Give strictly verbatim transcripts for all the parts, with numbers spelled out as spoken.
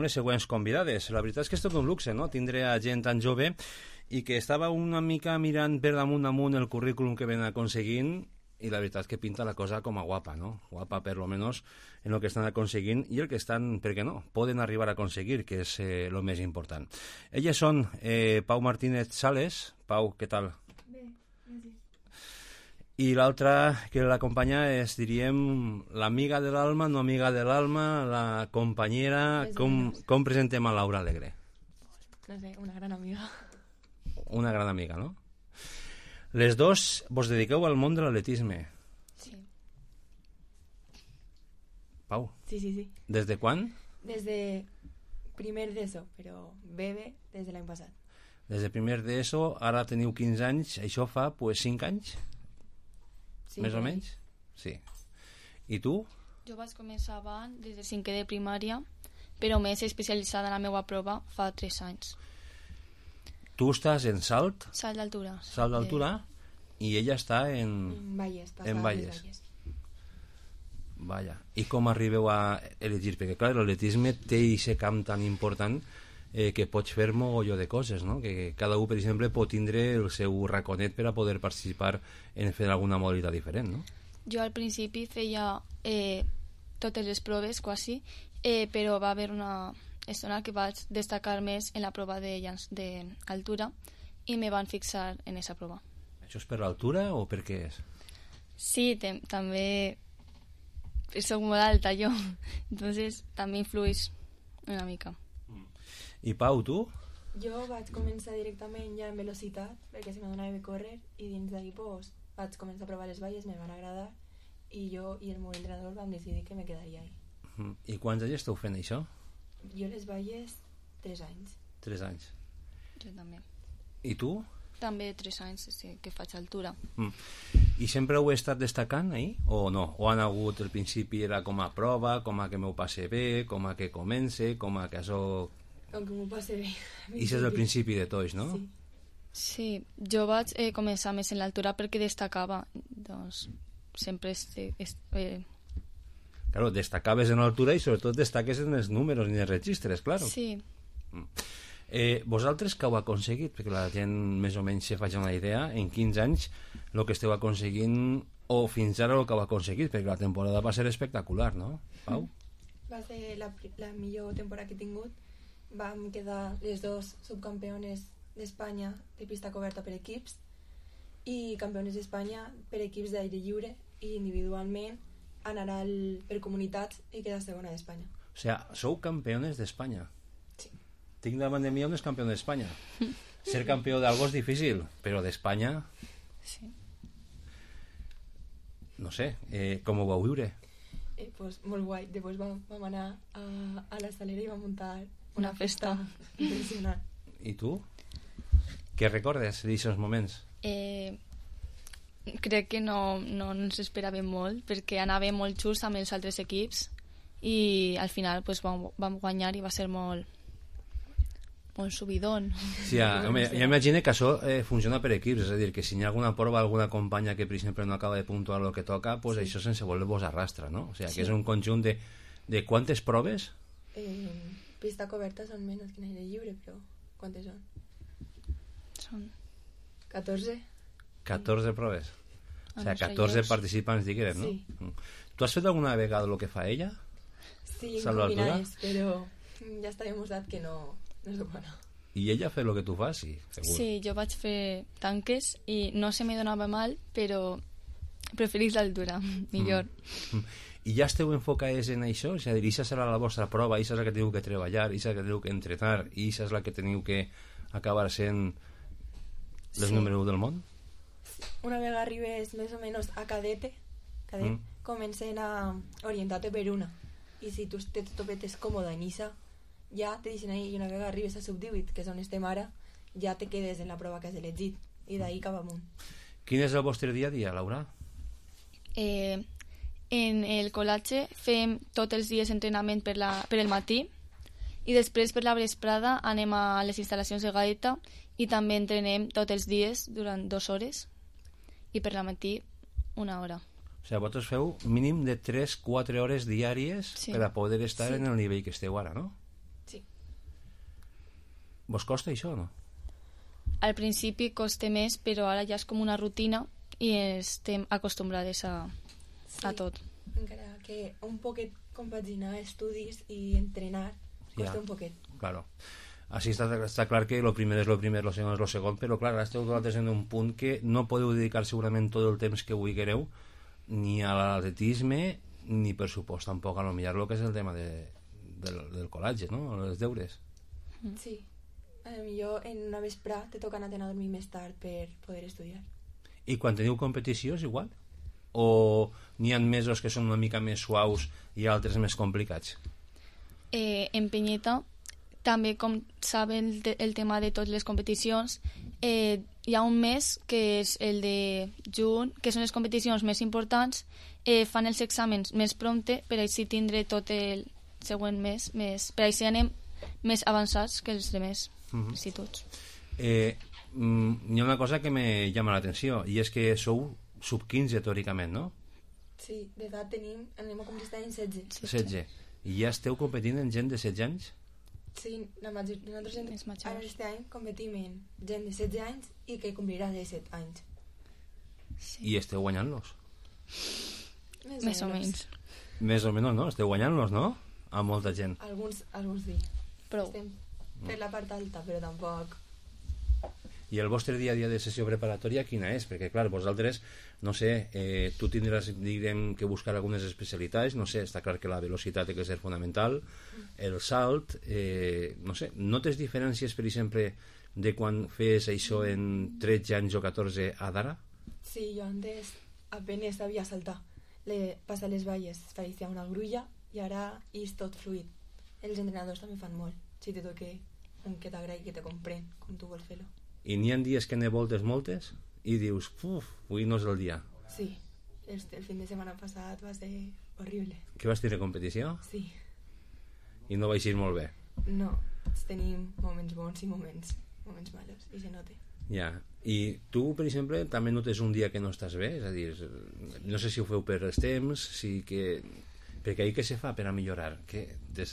les següents convidades. La veritat és que és tot un luxe, no?, tindre a gent tan jove i que estava una mica mirant per damunt amunt el currículum que ven aconseguint, i la veritat és que pinta la cosa com a guapa, no? Guapa per lo menos en el que estan aconseguint i el que estan, per què no, poden arribar a aconseguir, que és eh, el més important. Elles són eh, Pau Martínez Sales. Pau, què tal? Bé, gràcies. I l'altra que l'acompanya és, diríem, l'amiga de l'alma, no amiga de l'alma, la companyera. Com, com presentem a Laura Alegre? No sé, una gran amiga. Una gran amiga, no? Les dos vos dediqueu al món de l'atletisme. Sí. Pau? Sí, sí, sí. Des de quan? Des de primer d'ESO, però bebe des de l'any passat. Des de primer d'ESO, ara teniu quinze anys, això fa, pues, cinc anys? Sí, més o menys? Sí. I tu? Jo vaig començar abans, des de cinquè de primària, però més especialitzada en la meva prova fa tres anys. Tu estàs en salt? Salt d'altura. Salt d'altura? I ella està en... En Valles. En Valles. Vaja. I com arribeu a elegir? Perquè, clar, l'atletisme té aquest camp tan important eh, que pots fer mogolló de coses, no? Que cada un, per exemple, pot tindre el seu raconet per a poder participar en fer alguna modalitat diferent, no? Jo al principi feia eh, totes les proves, quasi, eh, però va haver una estona que vaig destacar més en la prova de llanç d'altura i me van fixar en aquesta prova. Això és per l'altura o per què és? Sí, te, també soc molt alta jo, entonces també influeix una mica. I Pau, tu? Jo vaig començar directament ja en velocitat, perquè se m'adonava bé córrer, i dins d'ahir pues, vaig començar a provar les valles, me van agradar, i jo i el meu entrenador vam decidir que me quedaria ahí. I quants anys esteu fent això? Jo les valles, tres anys. Tres anys. Jo també. I tu? També tres anys sí, que faig altura. Mm. I sempre heu estat destacant ahí o no? O han hagut, al principi era com a prova, com a que m'ho passe bé, com a que comence, com a que això... Com que m'ho passe bé. I això és el principi de tots, no? Sí. Sí, jo vaig eh, començar més en l'altura perquè destacava, doncs sempre este, este, eh... Claro, destacaves en l'altura i sobretot destaques en els números i en els registres, claro. Sí. Mm. Eh, vosaltres que heu aconseguit, perquè la gent més o menys se faci una idea, en quinze anys el que esteu aconseguint o fins ara el que heu aconseguit, perquè la temporada va ser espectacular, no, Pau? Va ser la, la millor temporada que he tingut. Vam quedar les dos subcampiones d'Espanya de pista coberta per equips i campiones d'Espanya per equips d'aire lliure, i individualment anar al, per comunitats i quedar segona d'Espanya. O sigui, sou campiones d'Espanya. Sí. Tinc davant de mi un campió d'Espanya. Ser campió d'algo és difícil, però d'Espanya... Sí. No sé, eh, com ho vau viure? Eh, pues, molt guai. Després vam, vam anar a, a la Salera i vam muntar Una festa. impressionant. I tu? Què recordes d'aquests moments? Eh, crec que no, no ens esperàvem molt perquè anàvem molt just amb els altres equips i al final pues, vam, vam guanyar i va ser molt molt subidón. Sí, ja, home, ja imagino que això eh, funciona per equips, és a dir, que si hi ha alguna prova, alguna companya que per exemple no acaba de puntuar el que toca, pues sí. Això sense voler-vos arrastra, no? O sigui, sí. Que és un conjunt de, de quantes proves? Eh, pista coberta són menys que en aire lliure, però quantes són? Són catorze. catorze proves. O sigui, Ah, no sé, catorze jo- participants, diguem, no? Sí. Tu has fet alguna vegada el que fa ella? Sí, Salva l'altura? combinades, però ja està demostrat que no, no és bona. I ella fa el que tu fas? Sí, segur. Sí, jo vaig fer tanques i no se me donava mal, però preferís l'altura, millor. Mm. I ja esteu enfocades en això? És a dir, això serà la vostra prova, això és la que teniu que treballar, això és la que teniu que entrenar, i això és la que teniu que acabar sent les Sí. número u del món? Una vegada arribes més o menys a cadete, cadet, Mm. comencen a orientar-te per una. I si tu te topetes còmode en Issa, ja te deixen ahí, i una vegada arribes a sub divuit, que és on estem ara, ja te quedes en la prova que has elegit, i d'ahí cap amunt. Quin és el vostre dia a dia, Laura? Eh, en el col·latge fem tots els dies entrenament per, la, per el matí i després per la vesprada anem a les instal·lacions de Gaeta i també entrenem tots els dies durant dues hores i per la matí una hora. O sigui, vosaltres feu mínim de tres a quatre hores diàries Sí. per a poder estar Sí. en el nivell que esteu ara, no? Sí. Vos costa això o no? Al principi costa més, però ara ja és com una rutina i estem acostumbrades a, Sí. a tot. Encara que un poquet compaginar estudis i entrenar costa Ja. un poquet. Claro. Així està, està clar que el primer és el primer, el segon és el segon, però clar, ara esteu vosaltres en un punt que no podeu dedicar segurament tot el temps que vulgueu ni a l'atletisme ni per supost tampoc a lo millor el que és el tema de, del, del col·legi, no? Els deures. Sí. A lo millor en una vesprà te toca anar a dormir més tard per poder estudiar. I quan teniu competició és igual? O n'hi ha mesos que són una mica més suaus i altres més complicats? Eh, en Penyeta, també com saben el, el tema de totes les competicions, eh, hi ha un mes que és el de juny, que són les competicions més importants, eh, fan els exàmens més prompte per així tindre tot el següent mes més, per així anem més avançats que els demés Mhm. instituts. Eh, mm, hi ha una cosa que me llama l'atenció i és que sou sub quinze teòricament, no? Sí, d'edat tenim, anem a complir aquest any setze. setze. I ja esteu competint en gent de setze anys? Sí, la major, nosaltres en, És majors. ara aquest any competim en gent de setze anys i que complirà disset anys. Sí. I esteu guanyant-los? Més o menys. Més o menys, no? Esteu guanyant-los, no? A molta gent. Alguns, alguns sí. Prou. Estem per la part alta, però tampoc... I el vostre dia a dia de sessió preparatòria quina és? Perquè, clar, vosaltres, no sé, eh, tu tindràs, direm, que buscar algunes especialitats, no sé, està clar que la velocitat té que ser fonamental, el salt, eh, no sé, notes diferències, per exemple, de quan fes això en tretze anys o catorze a d'ara? Sí, jo antes apenas sabia saltar. Le, passar les valles faria una grulla i ara és tot fluid. Els entrenadors també fan molt. Si te toque un que t'agradi, que te comprèn, com tu vols fer-lo. I n'hi ha dies que ne voltes moltes i dius, uf, avui no és el dia. Sí, el, el fin de setmana passat va ser horrible. Que vas tenir competició Sí, i no va eixir molt bé. no, tenim moments bons i moments, moments malos, i se nota. Ja, i tu, per exemple, també notes un dia que no estàs bé? És a dir, no sé si ho feu per els temps, si que... perquè ahir què se fa per a millorar? Que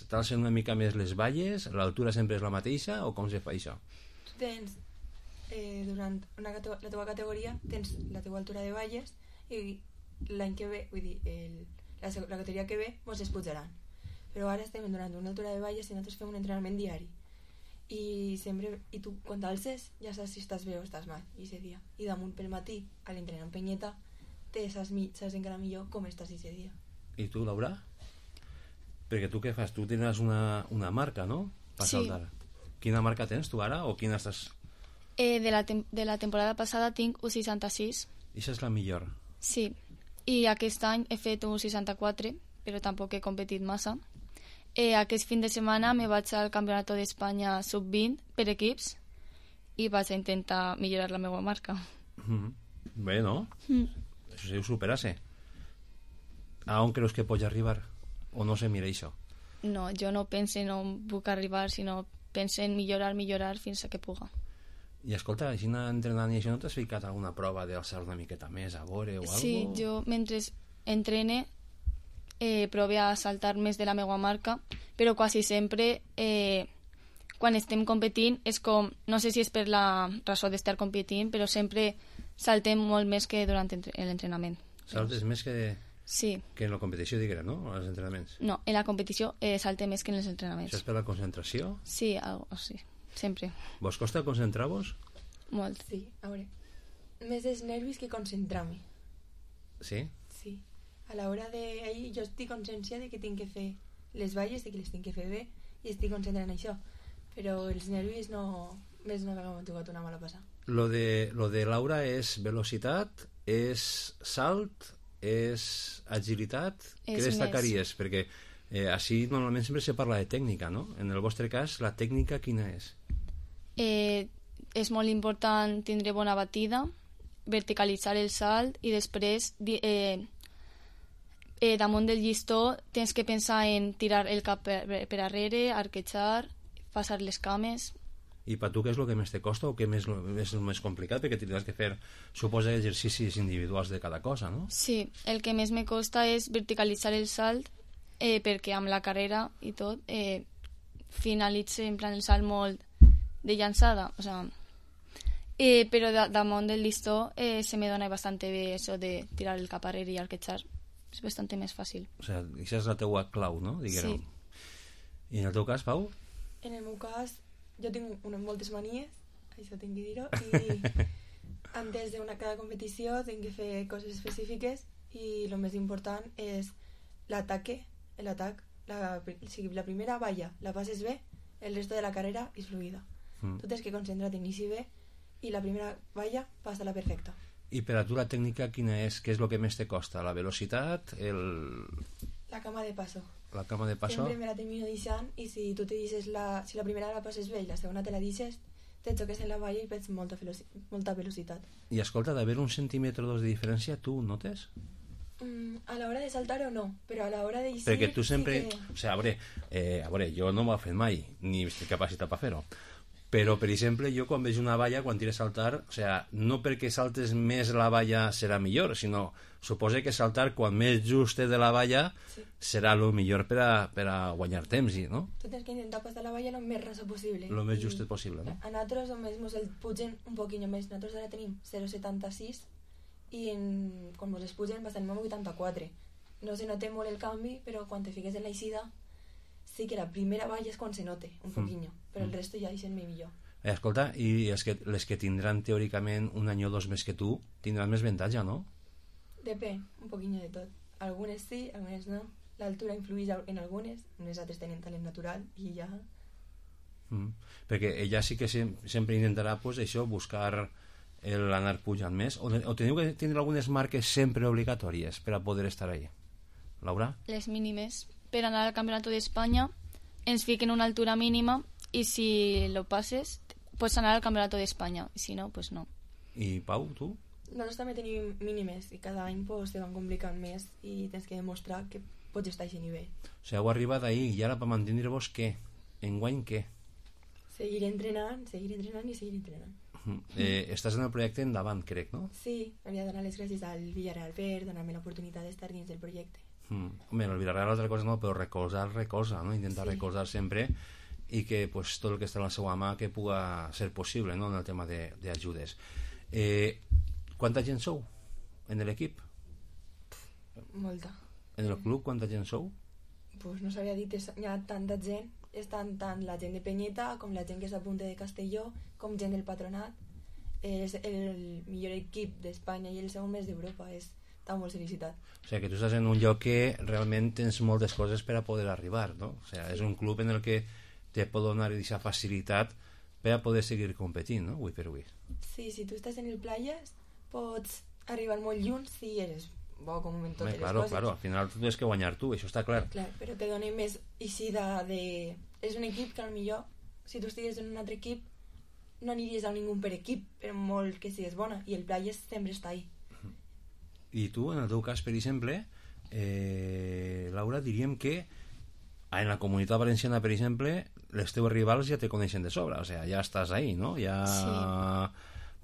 t'alcen una mica més les valles, l'altura sempre és la mateixa, o com se fa això? Tu tens, eh, durant una, cate- la teva categoria, tens la teva altura de valles i l'any que ve, vull dir, el, la, seg- la categoria que ve, mos es pujaran. Però ara estem durant una altura de valles i nosaltres fem un entrenament diari. I sempre, i tu quan t'alces ja saps si estàs bé o estàs mal i ese dia. I damunt pel matí a l'entrenament Penyeta te saps, mi- saps encara millor com estàs ese dia. I tu, Laura? Perquè tu què fas? Tu tens una, una marca, no? Per Sí. saltar. Quina marca tens tu ara? O quina estàs... Eh, de, la tem de la temporada passada tinc un seixanta-sis, Ixa és la millor. sí, i aquest any he fet un seixanta-quatre, però tampoc he competit massa. Eh, aquest fin de setmana me vaig al Campionat d'Espanya sub vint per equips i vaig a intentar millorar la meva marca. Mm. Bé, no? Mm. Això se superase. A on creus que pots arribar? O no se mira això? No, jo no penso en on puc arribar, sinó penso en millorar, millorar fins a que puga. I escolta, així entrenant i això no t'has ficat alguna prova d'alçar una miqueta més a veure o Sí, algo? jo mentre entrene eh, prove a saltar més de la meva marca, però quasi sempre eh, quan estem competint és com, no sé si és per la raó d'estar competint, però sempre saltem molt més que durant entre- l'entrenament. Saltes més que, Sí, que en la competició, diguem, no? Als entrenaments. no, en la competició eh, salte més que en els entrenaments. Això és per la concentració? Sí, algo així, sempre, Vos costa concentrar-vos? molt. Sí, a veure, més els nervis que concentrar-me. Sí? Sí, a l'hora de... Ahir jo estic consciència de que tinc que fer les valles, de que les tinc que fer bé i estic concentrant en això, però els nervis no... Més una vegada m'ha tocat una mala passada. Lo de, lo de Laura és velocitat, és salt, és agilitat? És Què destacaries? Perquè eh, així normalment sempre se parla de tècnica, no? En el vostre cas, la tècnica quina és? Eh, és molt important tindre bona batida, verticalitzar el salt i després di- eh, eh, damunt del llistó tens que pensar en tirar el cap per, per darrere, arquejar, passar les cames. I per tu què és el que més te costa o què més, és el més complicat? Perquè tindràs que fer, suposa, exercicis individuals de cada cosa, no? Sí, el que més me costa és verticalitzar el salt eh, perquè amb la carrera i tot eh, finalitze en plan el salt molt de llançada, o sea, eh, però da, damunt del listó eh, se me dona bastante bé eso de tirar el cap arrere i arquetxar. És bastante més fàcil. O sea, això és la teua clau, no? Diguérem. Sí. I en el teu cas, Pau? En el meu cas, jo tinc unes moltes manies, això tinc que dir-ho, i antes de una, cada competició tinc que fer coses específiques i el més important és l'ataque, l'atac, la, si la primera valla la passes bé, el resto de la carrera és fluida. Mm. Tu tens que concentrar-te en eixir bé i la primera valla passa-la perfecta. I per a tu la tècnica quina és? Què és el que més te costa? La velocitat? El... La cama de paso. La cama de paso? Sempre me la termino deixant i si tu te deixes la... si la primera la passes bé i la segona te la deixes, te xoques en la valla i perds molta, veloci... molta velocitat. I escolta, d'haver un centímetre o dos de diferència, tu ho notes? Mm, a l'hora de saltar o no, però a l'hora d'eixir... Perquè tu sempre... Sí que... O sigui, a veure, eh, a veure, jo no m'ho he fet mai, ni estic capacitat per fer-ho. Però, per exemple, jo quan veig una valla, quan tires a saltar, o sigui, no perquè saltes més la valla serà millor, sinó suposa que saltar quan més just de la valla sí. serà el millor per a, per a guanyar temps, no? Tu tens que intentar passar la valla el més rasa possible. El més justet possible, no? A nosaltres només ens el pugen un poquinho més. Nosaltres ara tenim zero coma setanta-sis i en... quan ens els pugen bastant amb vuitanta-quatre. No se nota molt el canvi, però quan te fiques en l'eixida sí que la primera valla és quan se note un poquinho, mm. però el resto ja eixen millor. Eh, escolta, i els que, les que tindran teòricament un any o dos més que tu tindran més avantatge, no? Depèn, un poquinho de tot. Algunes sí, algunes no. L'altura influeix en algunes, unes altres tenen talent natural i ja... Mm. Perquè ella sí que sem sempre intentarà pues, això, buscar l'anar pujant més. O, o teniu que tindre algunes marques sempre obligatòries per a poder estar ahí? Laura? Les mínimes. Per anar al Campionat d'Espanya ens fiquen una altura mínima i si lo passes pots anar al Campionat d'Espanya i si no, pues no. I Pau, tu? Nosaltres també tenim mínimes i cada any pues, se van complicant més i tens que demostrar que pots estar a aquest nivell. O sigui, heu arribat ahir i ara per mantenir-vos què? Enguany què? Seguir entrenant, seguir entrenant i seguir entrenant. Eh, estàs en el projecte endavant, crec, no? Sí, hauria de donar les gràcies al Villarreal per donar-me l'oportunitat d'estar dins del projecte. Mm. Home, el Villarreal altra cosa no, però recolzar, recolza, no? Intentar sí. recolzar sempre i que pues, tot el que està a la seva mà que puga ser possible, no? En el tema d'ajudes. Eh, quanta gent sou en l'equip? Molta. En el club quanta gent sou? Pues no sabria dir, hi ha tanta gent, estan tant la gent de Penyeta com la gent que s'apunta de Castelló com gent del patronat. És el millor equip d'Espanya i el segon més d'Europa, és tan molt felicitat. O sigui, que tu estàs en un lloc que realment tens moltes coses per a poder arribar, no? O sigui, és un club en el que te pot donar aquesta facilitat per a poder seguir competint, no? Avui per avui. Sí, si tu estàs en el Playas pots arribar molt lluny si eres bo com en totes Home, les claro, coses. Claro, al final tu tens que guanyar tu, això està clar. Clar, però te dona més eixida de... És un equip que potser si tu estigués en un altre equip no aniries a ningú per equip, per molt que sigues bona, i el Playas sempre està ahí. I tu, en el teu cas, per exemple, eh, Laura, diríem que en la comunitat valenciana, per exemple, les teus rivals ja te coneixen de sobre, o sigui, ja estàs ahí, no? Ja sí.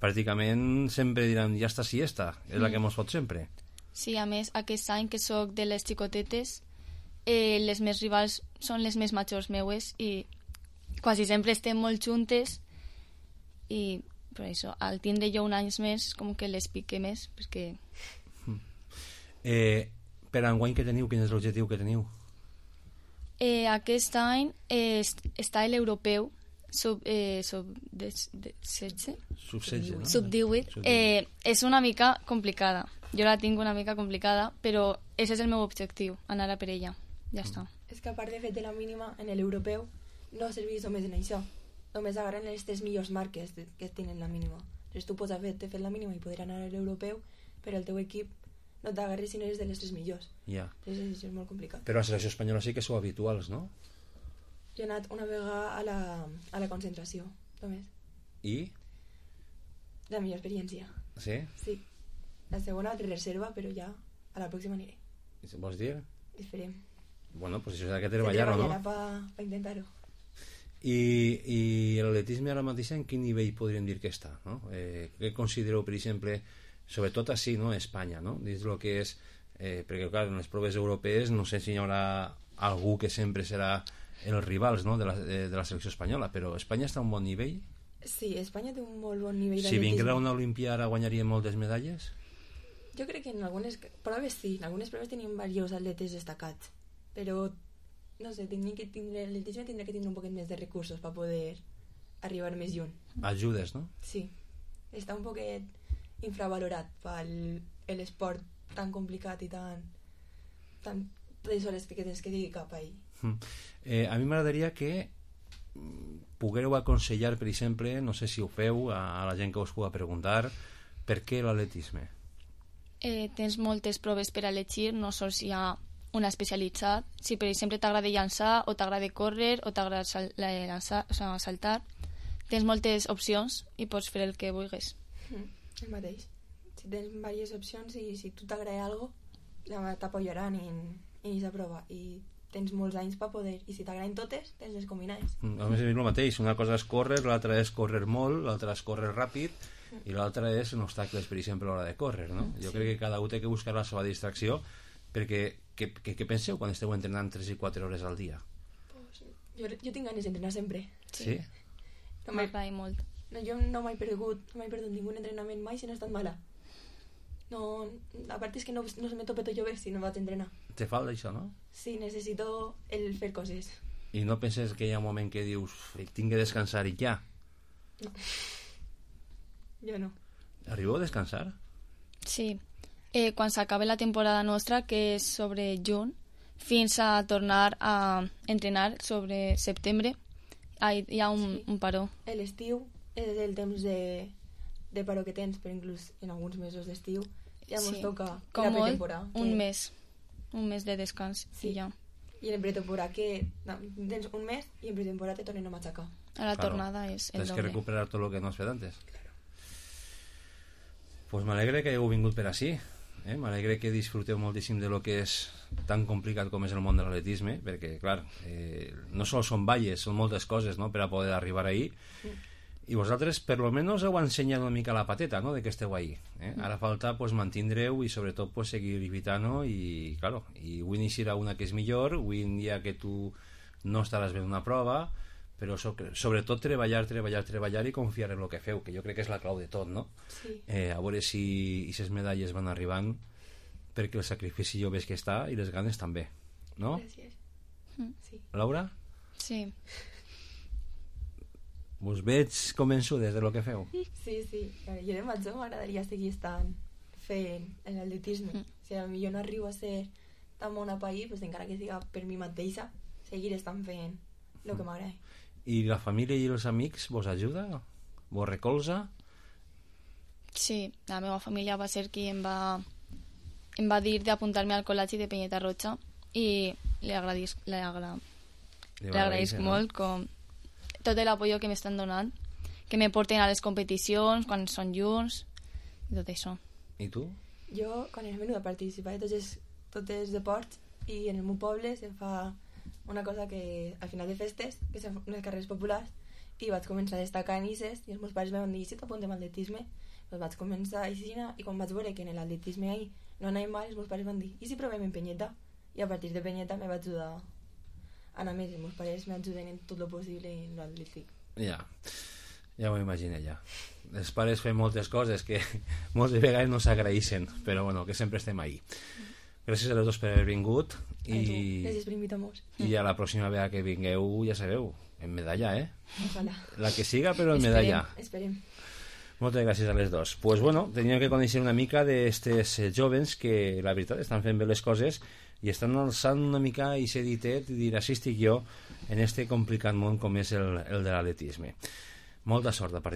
Pràcticament sempre diran, ja està si està, és mm. la que mos fot sempre. Sí, a més, aquest any que sóc de les xicotetes, eh, les més rivals són les més majors meues i quasi sempre estem molt juntes i per això, al tindre jo un any més, com que les pique més, perquè... Eh, per enguany que teniu, quin és l'objectiu que teniu? Eh, aquest any eh, està l'europeu sub, eh, sub de, de setze? Sub setze, no? Sub divuit. Eh, és una mica complicada. Jo la tinc una mica complicada, però ese és el meu objectiu, anar a per ella. Ja mm. està. És que a part de fer de la mínima, en l'europeu no serveix només en això. Només agarren les tres millors marques que tenen la mínima. Llavors tu pots haver fet la mínima i poder anar a l'europeu, però el teu equip no t'agarres si no eres de les tres millors. Ja. Llavors això és molt complicat. Però a la selecció espanyola sí que sou habituals, no? Jo he anat una vegada a la, a la concentració, només. I? La millor experiència. Sí? Sí. La segona de reserva, però ja a la pròxima aniré. Vols dir? Esperem. Bueno, pues això s'ha de treballar-ho, no? Se treballarà per pa intentar-ho. I, i l'atletisme ara mateix en quin nivell podríem dir que està, no? Eh, què considereu, per exemple, sobretot així, no?, a Espanya, no? Dins el que és, eh, perquè clar, en les proves europees no sé si hi haurà algú que sempre serà els rivals, no?, de la, de, de la selecció espanyola, però Espanya està a un bon nivell? Sí, Espanya té un molt bon nivell Si vinguera una Olimpià ara guanyaria moltes medalles? Jo crec que en algunes proves sí, en algunes proves tenim diversos atletes destacats, però no sé, tindria que tindre, l'atletisme tindrà que tindre un poquet més de recursos per poder arribar més lluny. Ajudes, no? Sí, està un poquet infravalorat pel l'esport tan complicat i tan tan les hores que tens que dedicar cap a ell. Mm. Eh, a mi m'agradaria que poguéreu aconsellar, per exemple, no sé si ho feu, a, a la gent que us pugui preguntar, per què l'atletisme? Eh, tens moltes proves per a elegir, no sols hi ha una especialitzat. Si per exemple t'agrada llançar o t'agrada córrer o t'agrada sal llançar, o sigui, saltar, tens moltes opcions i pots fer el que vulguis. Mm, el mateix. Si tens diverses opcions i si tu t'agrada alguna cosa, t'apoyaran en, en aquesta prova i tens molts anys per poder, i si t'agraden totes, tens les combinades. Mm, a més és el mateix, una cosa és córrer, l'altra és córrer molt, l'altra és córrer ràpid, mm. i l'altra és en obstacles, per exemple, a l'hora de córrer, no? Jo sí. crec que cada un té que buscar la seva distracció, perquè què, què, què penseu quan esteu entrenant tres i quatre hores al dia? Pues, jo, jo tinc ganes d'entrenar sempre. Sí? No m'agrada molt. No, jo no m'he perdut, no m'he perdut ningú entrenament mai si no he estat mala. No, a part és que no, no se me tope tot jo bé si no vaig entrenar. Te falta això, no? Sí, necessito el fer coses. I no penses que hi ha un moment que dius tinc que descansar i ja? No. Jo no. Arribeu a descansar? Sí. Eh, quan s'acabe la temporada nostra, que és sobre juny, fins a tornar a entrenar sobre setembre, hi ha un, sí. un paró. L'estiu és el temps de, de paró que tens, però inclús en alguns mesos d'estiu ja ens sí. toca com la pretemporada. Com un mes, un mes de descans sí. i ja. I en pretemporada que no, tens un mes i en pretemporada te tornen a matxacar. A la claro. tornada és el Tens doble. que recuperar tot el que no has fet antes. Claro. Pues m'alegre que hagueu vingut per així. Eh? M'alegre que disfruteu moltíssim de lo que és tan complicat com és el món de l'atletisme, perquè, clar, eh, no sols són valles, són moltes coses, no?, per a poder arribar ahí. Mm. I vosaltres, per lo menos, heu ensenyat una mica la pateta, no?, de que esteu ahí. Eh? Mm. Ara falta, pues, mantindreu i, sobretot, pues, seguir lluitant, i, claro, i avui n'eixirà una que és millor, avui en dia que tu no estaràs bé en una prova, però so, sobretot treballar, treballar, treballar i confiar en el que feu, que jo crec que és la clau de tot, no? Sí. Eh, a veure si aquestes medalles van arribant, perquè el sacrifici jo veig que està i les ganes també, no? Gràcies. Mm. Sí. Laura? Sí. Us veig convençudes de lo que feu? Sí, sí. Jo de major m'agradaria seguir estant fent l'atletisme. Mm. Si potser no arribo a ser tan bona per ahir, pues, encara que siga per mi mateixa, seguir estant fent el que m'agrada. I la família i els amics vos ajuda? Vos recolza? Sí, la meva família va ser qui em va, em va dir d'apuntar-me al col·legi de Penyeta Roja i li agraïsc, li agra, li agraïsc no? molt com tot l'apoyo que m'estan donant, que me porten a les competicions quan són junts i tot això. I tu? Jo, quan era menuda, participava de tots els, tots els deports i en el meu poble se fa una cosa que al final de festes, que són unes carreres populars, i vaig començar a destacar en Ises i els meus pares em van dir si t'apuntem a atletisme, doncs vaig començar a Isina i quan vaig veure que en l'atletisme ahí no anàvem mal, els meus pares van dir i si provem en Penyeta? I a partir de Penyeta me vaig ajudar a anar més, els meus pares m'ajuden en tot el possible en l'atlètic. Ja, ja m'ho imagino ja. Els pares fem moltes coses que moltes vegades no s'agraeixen, però bueno, que sempre estem ahí. Gràcies a tots per haver vingut i, gràcies per invitar-nos. I a la pròxima vegada que vingueu, ja sabeu, en medalla, eh? Ojalà. La que siga, però en medalla. Esperem. Moltes gràcies a les dos. Pues bueno, teníem que conèixer una mica d'estes jovens que, la veritat, estan fent bé les coses i estan alçant una mica i ser ditet i dir, així estic jo en este complicat món com és el, el de l'atletisme. Molta sort a partir